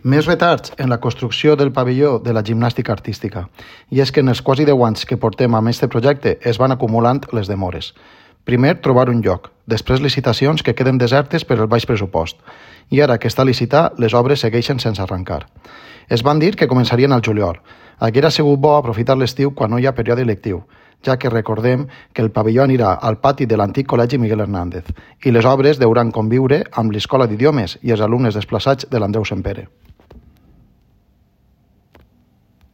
Més retards en la construcció del pavelló de la gimnàstica artística. I és que en els quasi 10 anys que portem amb aquest projecte es van acumulant les demores. Primer, trobar un lloc. Després, licitacions que queden desertes per el baix pressupost. I ara que està a licitar, les obres segueixen sense arrencar. Es van dir que començarien al juliol. Haguera sigut bo aprofitar l'estiu quan no hi ha període lectiu, ja que recordem que el pavelló anirà al pati de l'antic Col·legi Miguel Hernández i les obres deuran conviure amb l'Escola d'Idiomes i els alumnes desplaçats de l'Andreu Sempere.